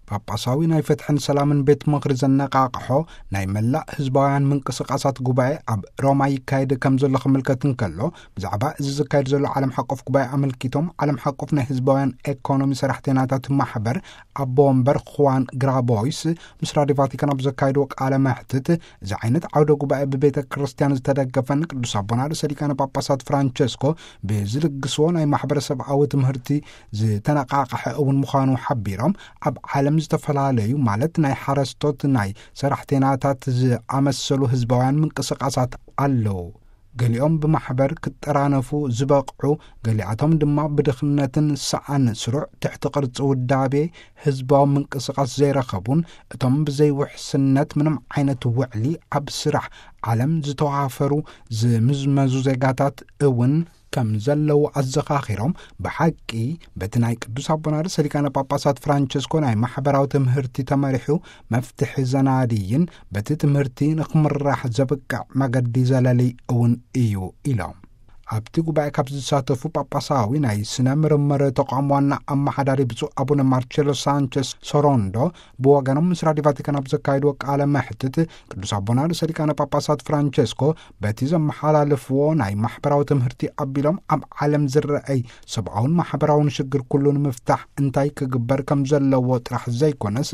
ጳጳሳዊ ናይ ፍትሕን ሰላምን ቤት ምኽሪ ዘነቓቕሖ ናይ መላእ ህዝባውያን ምንቅስቓሳት ጉባኤ ኣብ ሮማ ይካየድ ከም ዘሎ ክምልከት እንከሎ፣ ብዛዕባ እዚ ዝካየድ ዘሎ ዓለም ሓቆፍ ጉባኤ ኣመልኪቶም፣ ዓለም ሓቆፍ ናይ ህዝባውያን ኤኮኖሚ ሰራሕተኛታት ማሕበር ኣቦ ወንበር ኹዋን ግራቦይስ ምስ ራዲዮ ቫቲካን ኣብ ዘካየድዎ ቃለ መሕትት፣ እዚ ዓይነት ዓውደ ጉባኤ ብቤተ ክርስቲያን ዝተደገፈን ቅዱስ ኣቦና ርእሰ ሊቃነ ጳጳሳት ፍራንቸስኮ ብዝልግስዎ ናይ ማሕበረሰብኣዊ ትምህርቲ ዝተነቓቕሐ እውን ምዃኑ ሓቢሮም፣ ኣብ ዓለም ዝተፈላለዩ፣ ማለት ናይ ሓረስቶት፣ ናይ ሰራሕተኛታት ዝኣመሰሉ ህዝባውያን ምንቅስቓሳት ኣለዉ። ገሊኦም ብማሕበር ክጠራነፉ ዝበቕዑ፣ ገሊኣቶም ድማ ብድኽነትን ሰኣን ስሩዕ ትሕቲ ቅርጺ ውዳቤ ህዝባዊ ምንቅስቓስ ዘይረኸቡን፣ እቶም ብዘይ ውሕስነት ምንም ዓይነት ውዕሊ ኣብ ስራሕ ዓለም ዝተዋፈሩ ዝምዝመዙ ዜጋታት እውን ከም ዘለዉ ኣዘኻኺሮም፣ ብሓቂ በቲ ናይ ቅዱስ ኣቦና ርእሰ ሊቃነ ጳጳሳት ፍራንቸስኮ ናይ ማሕበራዊ ትምህርቲ ተመሪሑ መፍትሒ ዘናድይን በቲ ትምህርቲ ንክምራሕ ዘብቅዕ መገዲ ዘለሊ እውን እዩ ኢሎም። ኣብቲ ጉባኤ ካብ ዝሳተፉ ጳጳሳዊ ናይ ስነ ምርምር ተቋም ዋና ኣመሓዳሪ ብፁዕ ኣቡነ ማርቸሎ ሳንቸስ ሶሮንዶ ብወገኖም ምስ ራዲዮ ቫቲካን ኣብ ዘካየድዎ ቃለ መሕትት፣ ቅዱስ ኣቦና ርእሰ ሊቃነ ጳጳሳት ፍራንቸስኮ በቲ ዘመሓላለፍዎ ናይ ማሕበራዊ ትምህርቲ ኣቢሎም፣ ኣብ ዓለም ዝረኣይ ሰብኣውን ማሕበራውን ሽግር ኩሉ ንምፍታሕ እንታይ ክግበር ከም ዘለዎ ጥራሕ ዘይኮነስ፣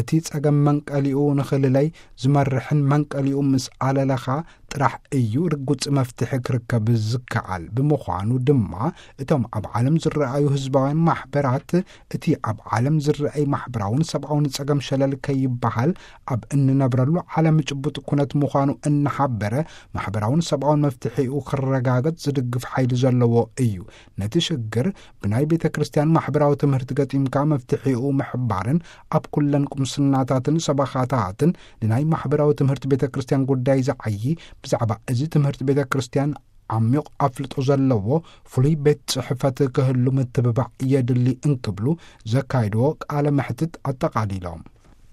እቲ ጸገም መንቀሊኡ ንኽልለይ ዝመርሕን መንቀሊኡ ምስ ኣለለኻ ጥራሕ እዩ ርጉጽ መፍትሒ ክርከብ ዝከኣል። ብምዃኑ ድማ እቶም ኣብ ዓለም ዝረኣዩ ህዝባውያን ማሕበራት፣ እቲ ኣብ ዓለም ዝረኣይ ማሕበራውን ሰብኣውን ጸገም ሸለል ከይበሃል ኣብ እንነብረሉ ዓለም ጭቡጥ ኩነት ምዃኑ እናሓበረ፣ ማሕበራውን ሰብኣውን መፍትሒኡ ክረጋገጽ ዝድግፍ ሓይሊ ዘለዎ እዩ። ነቲ ሽግር ብናይ ቤተ ክርስቲያን ማሕበራዊ ትምህርቲ ገጢምካ መፍትሒኡ ምሕባርን፣ ኣብ ኩለን ቁምስናታትን ሰበኻታትን ንናይ ማሕበራዊ ትምህርቲ ቤተ ክርስቲያን ጉዳይ ዝዓዪ፣ ብዛዕባ እዚ ትምህርቲ ቤተ ክርስቲያን ዓሚቕ ኣፍልጦ ዘለዎ ፍሉይ ቤት ጽሕፈት ክህሉ ምትብባዕ የድሊ እንክብሉ ዘካይድዎ ቃለ መሕትት ኣጠቓሊሎም።